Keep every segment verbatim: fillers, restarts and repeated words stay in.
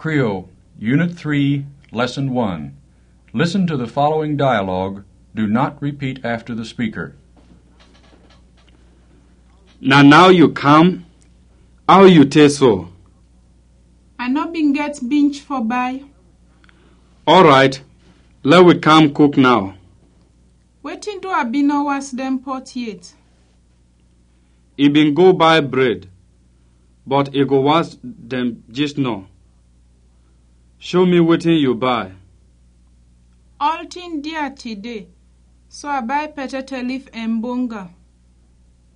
Creole, Unit three, Lesson one. Listen to the following dialogue. Do not repeat after the speaker. Na now you come? How you take so? I no bin get binch for buy. Alright, let we come cook now. Wetin do I bin no was dem pot yet? I bin go buy bread, but i go was dem jis now. Show me wetin you buy. All tin dia today, so I buy potato leaf and bonga.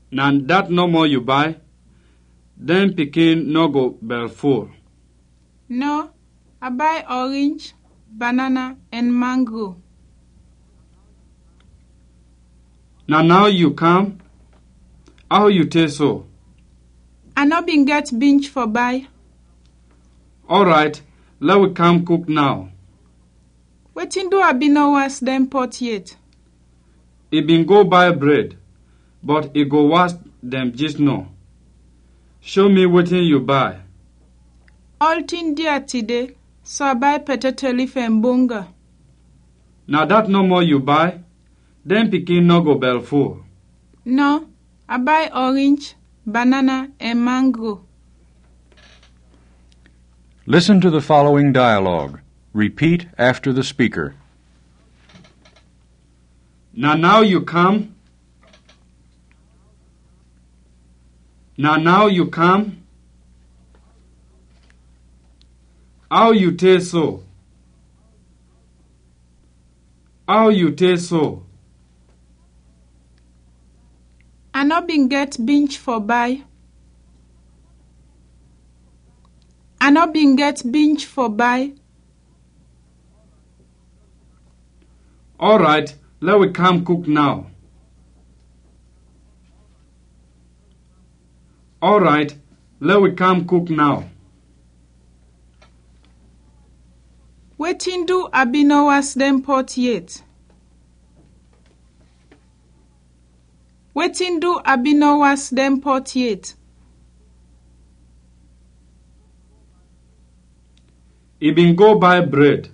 Na dat nɔmɔ you buy? Dem pikin nɔ go bɛl full. No, I buy orange, banana, and mango. Na now you come? How you take so? I no bin get binch for buy. Alright, let we come cook now. Wetin do I bin no was dem pot yet? I bin go buy bread, but i go was dem jis now. Show me wetin you buy. All tin dia today, so I buy potato leaf and bonga. Na dat nɔmɔ you buy? Dem pikin nɔ go bɛl full. No, I buy orange, banana, and mango. Listen to the following dialogue. Repeat after the speaker. Na now you come? Na now you come? How you take so? How you take so? I no bin get binch for buy. I no bin get binch for buy. Alright, let we come cook now. Alright, let we come cook now. Wetin do I bin no was dem pot yet? Wetin do I bin no was dem pot yet? I bin go buy bread.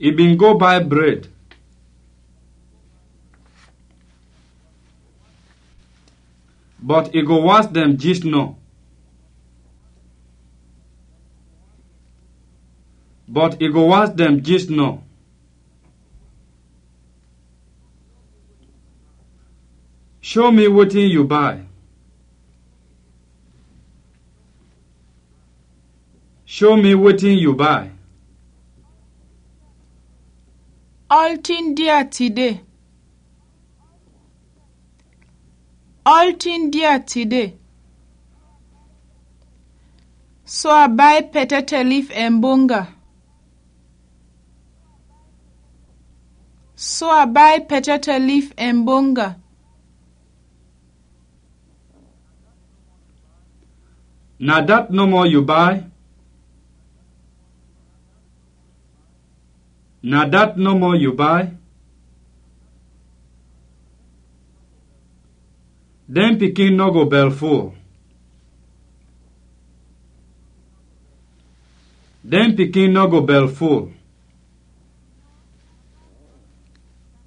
I bin go buy bread. But i go was dem jis now. But i go was dem jis now. Show me wetin you buy. Show me wetin you buy. All tin dia today. All tin dia today. So I buy potato leaf and bonga. So I buy potato leaf and bonga. Na dat nɔmɔ you buy? Na dat nɔmɔ you buy? Dem pikin nɔ go bɛl full. Dem pikin nɔ go bɛl full.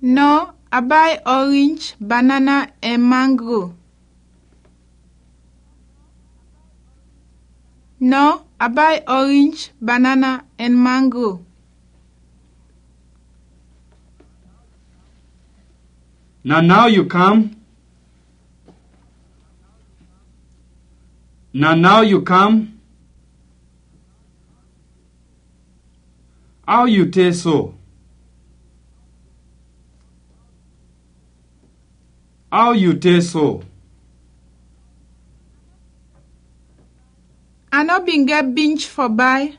No, I buy orange, banana, and mango. No, I buy orange, banana, and mango. Na now you come? Na now you come? How you take so? How you take so? I no bin get binch for buy.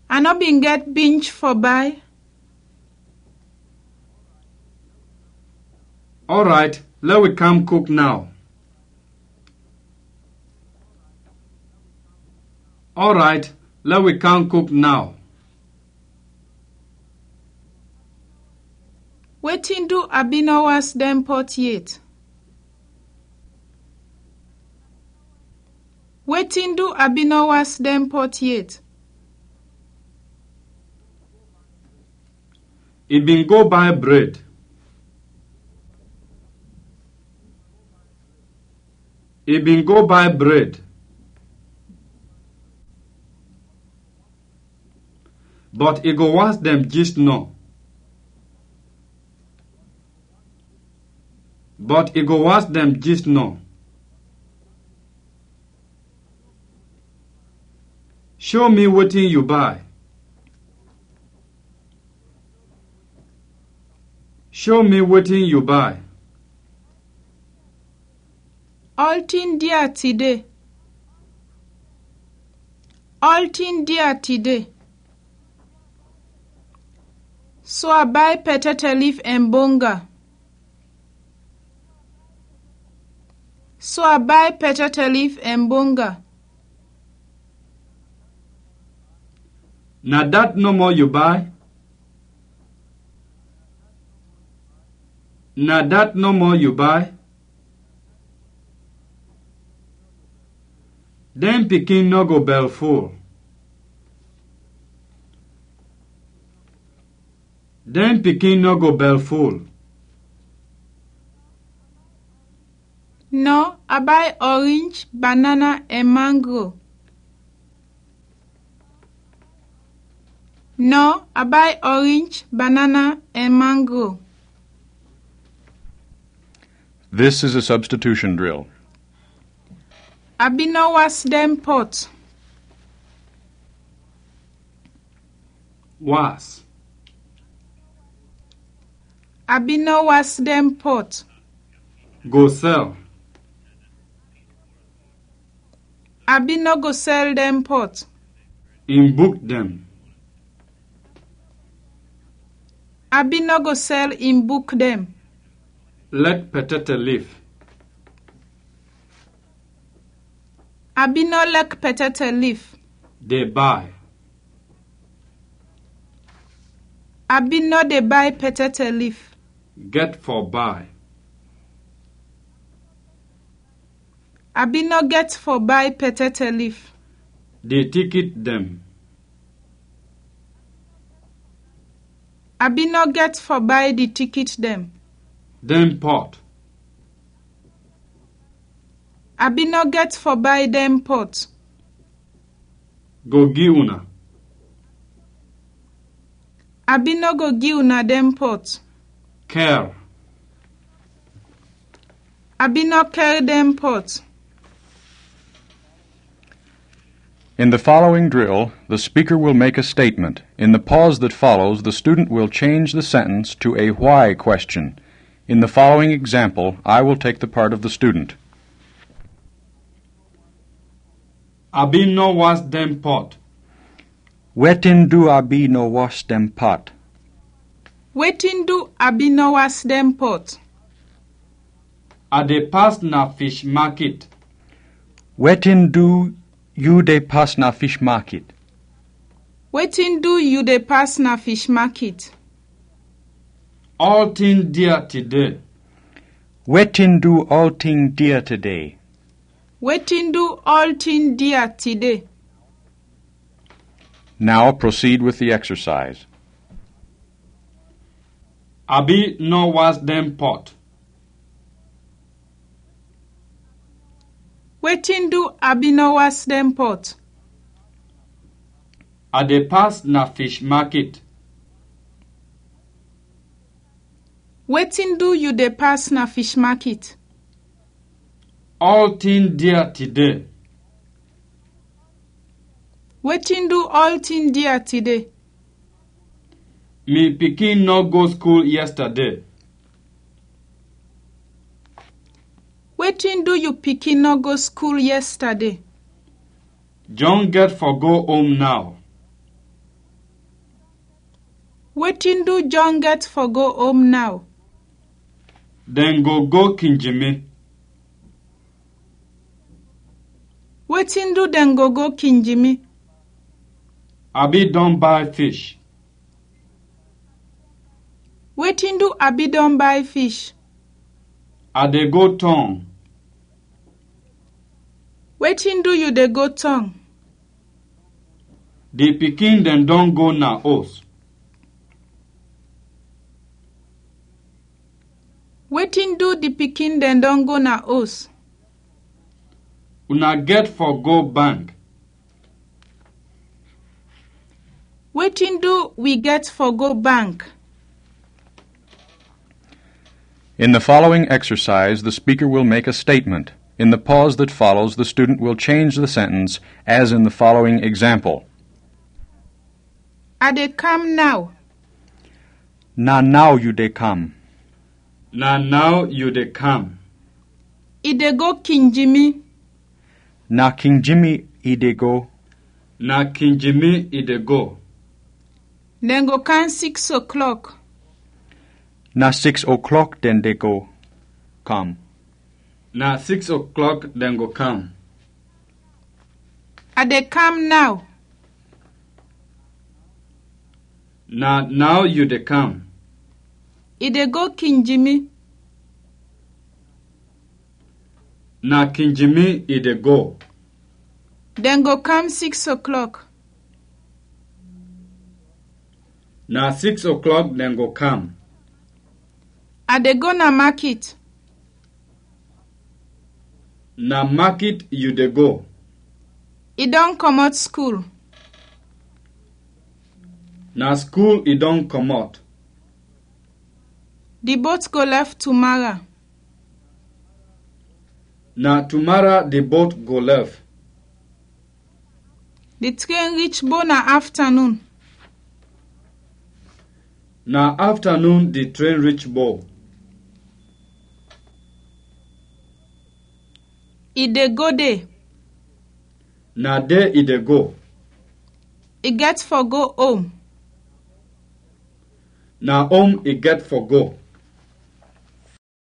I no bin get binch for buy. Alright, let we come cook now. Alright, let we come cook now. Wetin do I bin no was dem pot yet? Wetin du a bin nɔ was dɛn pɔt yet? I bin go bay bred. I bin go bay bred. But i go was dɛn jis nɔ. But i go was dɛn jis nɔ. Show mi wetin yu bay. Show mi wetin yu bay. Ɔltin dia tide. Ɔltin dia tide. So a bay pɛtɛtɛ lif ɛn bonga. So a bay pɛtɛtɛ lif ɛn bonga. Na dat nɔmɔ yu bay? Na dat nɔmɔ yu bay? Dɛn pikin nɔ go bɛlful. Dɛn pikin nɔ go bɛlful. Nɔ, a bay ɔrinj, banana ɛn mangro. Nɔ, a bay ɔrinj, banana ɛn mangro. This is a substitution drill. A bin nɔ was dɛn pɔt. Was. A bin nɔ was dɛn pɔt. Go sɛl. A bin nɔ go sɛl dɛn pɔt. In buk dɛn. A bin nɔ go sɛl in buk dɛn. Lɛk pɛtɛtɛ lif. A bin nɔ lɛk pɛtɛtɛ lif. De bay. A bin nɔ de bay pɛtɛtɛ lif. Gɛt fɔ bay. A bin nɔ gɛt fɔ bay pɛtɛtɛ lif. Di tikit dɛn. A bin nɔ gɛt fɔ bay di tikit dɛn. Dɛn pɔt. A bin nɔ gɛt fɔ bay dɛn pɔt. Go gi una. A bin nɔ go gi una dɛn pɔt. Kɛr. A bin nɔ kɛr dɛn pɔt. In the following drill, the speaker will make a statement. In the pause that follows, the student will change the sentence to a why question. In the following example, I will take the part of the student. A bin nɔ was dɛn pɔt. Wetin du a bin nɔ was dɛn pɔt? Wetin du a bin nɔ was dɛn pɔt? A de pas na fish makit. Wetin du yu de pas na fish makit? Wetin du yu de pas na fish makit? Ɔltin dia tide. Wetin du ɔltin dia tide? Wetin du ɔltin dia tide? Now proceed with the exercise. A bin nɔ was dɛn pɔt. Wetin du a bin nɔ was dɛn pɔt? A de pas na fish makit. Wetin du yu de pas na fish makit? Ɔltin dia tide. Wetin du ɔltin dia tide? Mi pikin nɔ go skul yɛstade. Wetin du yu pikin nɔ go skul yɛstade? Jɔn gɛt fɔ go om naw. Wetin du Jɔn gɛt fɔ go om naw? Dɛn go go kinji mi. Wetin du dɛn go go kinji mi? A bin dɔn bay fish. Wetin du a bin dɔn bay fish? A de go tɔng. Wetin du yu de go tɔng? Di pikin dɛn dɔn go na os. Wetin du di pikin dɛn dɔn go na os? Una gɛt fɔ go bank. Wetin du wi gɛt fɔ go bank? In the following exercise, the speaker will make a statement. In the pause that follows, the student will change the sentence, as in the following example. A de kam naw. Na naw yu de kam. Na naw yu de kam. I de go Kinjimi. Na Kinjimi i de go. Na Kinjimi i de go. Dɛn go kam six o'clock. Na six o'clock dɛn de go kam. Na six o'clock dɛn go kam. A de kam naw. Na naw yu de kam. I de go Kinjimi. Na Kinjimi i de go. Dɛn go kam six o'clock. Na six o'clock dɛn go kam. A de go na makit. Na makit yu de go. I dɔn kɔmɔt skul. Na skul i dɔn kɔmɔt. Di bot go lɛf tumara. Na tumara di bot go lɛf. Di tren rich Bo na aftanun. Na aftanun di tren rich Bo. I de go de. Na de i de go. I gɛt fɔ go om. Na om i gɛt fɔ go.